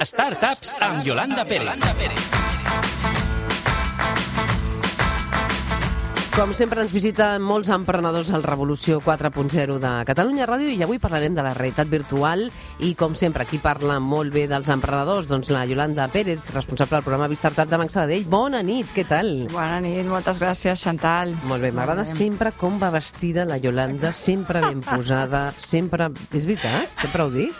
Startups amb Yolanda Pérez. Com sempre ens visiten molts emprenedors al Revolució 4.0 de Catalunya Ràdio i avui parlarem de la realitat virtual i com sempre qui parla molt bé dels emprenedors, doncs la Yolanda Pérez, responsable del programa Startup de Banc Sabadell. Bona nit, què tal? Bona nit, moltes gràcies, Chantal. Molt bé, m'agrada sempre com va vestida la Yolanda, sempre ben posada, sempre... És veritat? Sempre ho dic?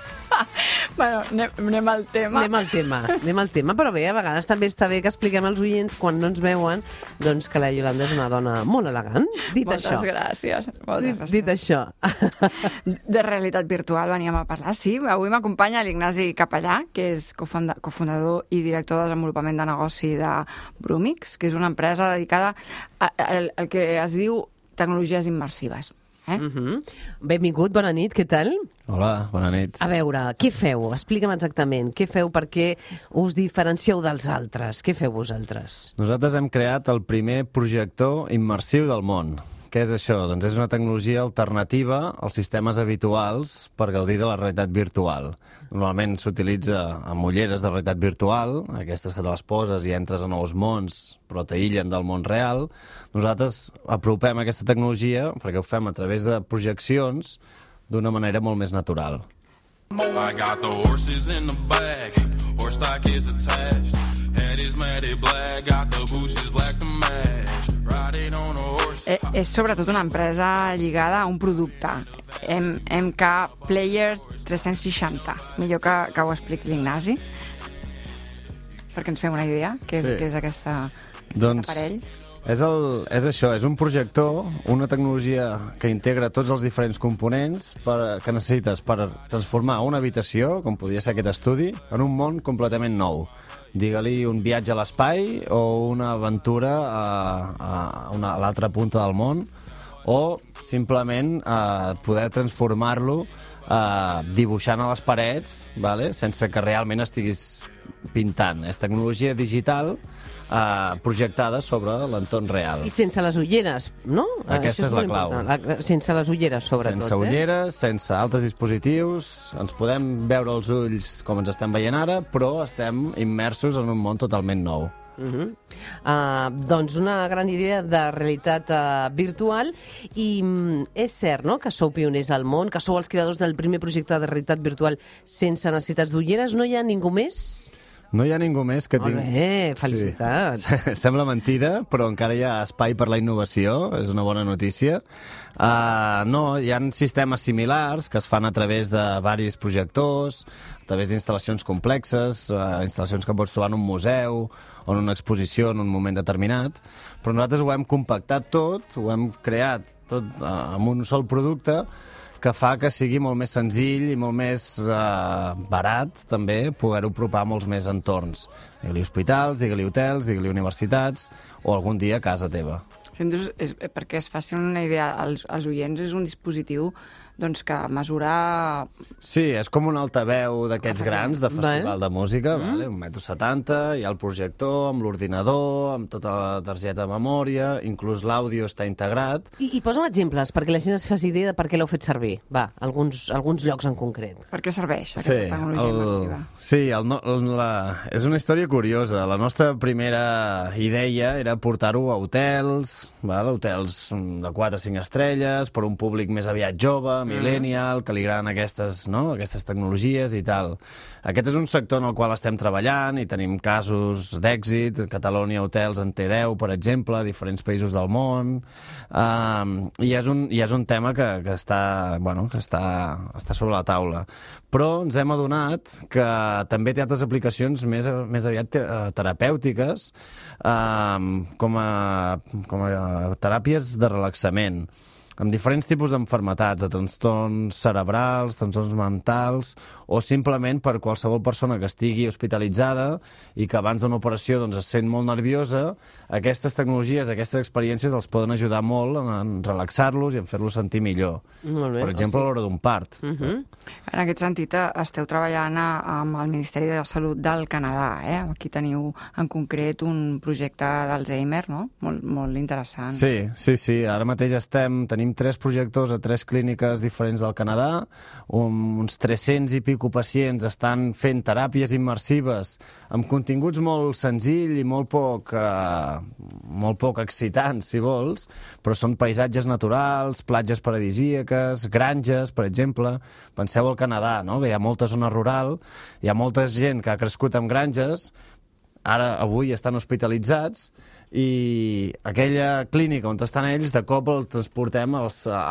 Bueno, anem al tema. Anem al tema, però bé, a vegades també està bé que expliquem als oients, quan no ens veuen, doncs que la Yolanda és una dona molt elegant. Moltes gràcies. Dit això. De realitat virtual veníem a parlar, sí. Avui m'acompanya l'Ignasi Capellà, que és cofundador i director de desenvolupament de negoci de Brumix, que és una empresa dedicada al que es diu tecnologies immersives. Benvingut, bona nit, què tal? Hola, bona nit. A veure, què feu? Explica'm exactament. Què feu perquè us diferencieu dels altres? Què feu vosaltres? Nosaltres hem creat el primer projector immersiu del món. Què és això? Doncs és una tecnologia alternativa als sistemes habituals per gaudir de la realitat virtual. Normalment s'utilitza amb ulleres de realitat virtual, aquestes que te les poses i entres a nous mons, però t'aïllen del món real. Nosaltres apropem aquesta tecnologia perquè ho fem a través de projeccions d'una manera molt més natural. I got the horses in the back, horse stock is attached, head is matted black, got the bushes black to match, riding on a horse. És sobretot una empresa lligada a un producte, MK Player 360. Millor que ho expliqui l'Ignasi, perquè ens fem una idea, què és aquest aparell. És això, és un projector, una tecnologia que integra tots els diferents components que necessites per transformar una habitació, com podria ser aquest estudi, en un món completament nou. Digue-li un viatge a l'espai o una aventura a l'altra punta del món, o simplement poder transformar-lo dibuixant a les parets, sense que realment estiguis pintant. És tecnologia digital projectada sobre l'entorn real. I sense les ulleres, no? Aquesta és la clau. Sense les ulleres, sobretot. Sense ulleres, sense altres dispositius, ens podem veure els ulls com ens estem veient ara, però estem immersos en un món totalment nou. Doncs una gran idea de realitat virtual i és cert, no?, que sou pioners al món, que sou els creadors del primer projecte de realitat virtual sense necessitats d'ulleres. No hi ha ningú més? No hi ha ningú més que Molt bé, felicitats. Sí. Sembla mentida, però encara hi ha espai per la innovació, és una bona notícia. No, hi ha sistemes similars que es fan a través de diversos projectors, a través d'instal·lacions complexes, instal·lacions que pots trobar en un museu o en una exposició en un moment determinat, però nosaltres ho hem compactat tot, ho hem creat tot amb un sol producte que fa que sigui molt més senzill i molt més barat, també, poder-ho apropar a molts més entorns. Digue-li hospitals, digue-li hotels, digue-li universitats, o algun dia a casa teva. Perquè es facin una idea als oients, és un dispositiu que mesura... Sí, és com un altaveu d'aquests grans de festival de música, 1,70 m, hi ha el projector amb l'ordinador, amb tota la targeta de memòria, inclús l'àudio està integrat. I posa'm exemples, perquè la gent es faci idea de per què l'heu fet servir. Va, alguns llocs en concret. Per què serveix aquesta tecnologia immersiva? Sí, és una història curiosa. La nostra primera idea era portar-ho a hotels, hotels de 4 o 5 estrelles, per un públic més aviat jove, millennial, que li agraden aquestes tecnologies i tal. Aquest és un sector en el qual estem treballant i tenim casos d'èxit. Catalonia Hotels en té 10, per exemple, a diferents països del món. I és un tema que està sobre la taula. Però ens hem adonat que també té altres aplicacions més aviat terapèutiques, com a teràpies de relaxament, amb diferents tipus d'enfermetats, de trastorns cerebrals, trastorns mentals, o simplement per qualsevol persona que estigui hospitalitzada i que abans d'una operació es sent molt nerviosa. Aquestes tecnologies, aquestes experiències els poden ajudar molt en relaxar-los i en fer-los sentir millor. Molt bé, per exemple, a l'hora d'un part. En aquest sentit, esteu treballant amb el Ministeri de Salut del Canadà. Aquí teniu en concret un projecte d'Alzheimer, no? Molt interessant. Sí. Ara mateix tenim tenim 3 projectors a 3 clíniques diferents del Canadà, uns 300 i pico pacients estan fent teràpies immersives amb continguts molt senzill i molt poc excitants, si vols, però són paisatges naturals, platges paradisíaques, granges, per exemple. Penseu al Canadà, no? Que hi ha molta zona rural, hi ha molta gent que ha crescut en granges, avui estan hospitalitzats, i aquella clínica on estan ells, de cop els transportem a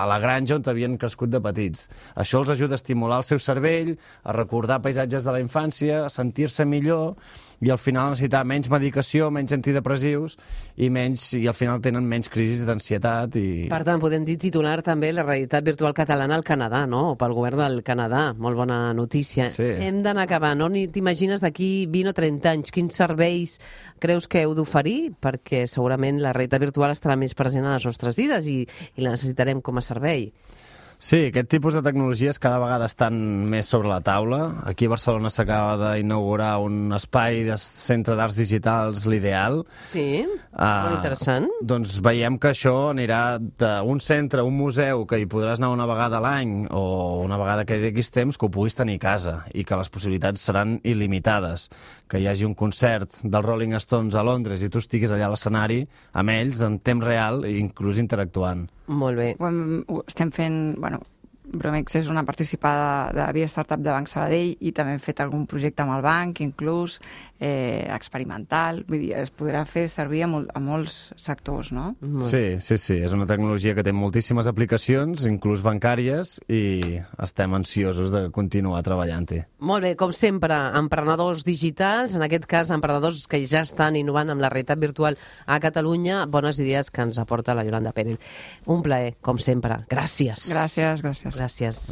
la granja on havien crescut de petits. Això els ajuda a estimular el seu cervell, a recordar paisatges de la infància, a sentir-se millor, i al final necessitar menys medicació, menys antidepressius, i al final tenen menys crisis d'ansietat. Per tant, podem dir titular també la realitat virtual catalana al Canadà, no? O pel govern del Canadà. Molt bona notícia. Sí. Hem d'anar acabant, no? Ni t'imagines d'aquí 20 o 30 anys quins serveis creus que heu d'oferir? Perquè segurament la realitat virtual estarà més present a les nostres vides i la necessitarem com a servei. Sí, aquest tipus de tecnologies cada vegada estan més sobre la taula. Aquí a Barcelona s'acaba d'inaugurar un espai de centre d'arts digitals, l'Ideal. Sí, molt interessant. Doncs veiem que això anirà d'un centre, un museu, que hi podràs anar una vegada a l'any o una vegada que hi haguis temps, que ho puguis tenir a casa i que les possibilitats seran il·limitades. Que hi hagi un concert dels Rolling Stones a Londres i tu estiguis allà a l'escenari amb ells en temps real i inclús interactuant. Molt bé. Ho estem fent... Bromex és una participada de Via Startup de Banc Sabadell i també hem fet algun projecte amb el banc, inclús experimental. Vull dir, es podrà fer servir a molts sectors, no? Sí. És una tecnologia que té moltíssimes aplicacions, inclús bancàries, i estem ansiosos de continuar treballant-hi. Molt bé, com sempre, emprenedors digitals, en aquest cas emprenedors que ja estan innovant amb la realitat virtual a Catalunya, bones idees que ens aporta la Iolanda Pérez. Un plaer, com sempre. Gràcies. Gràcies. Gràcies. Gràcies.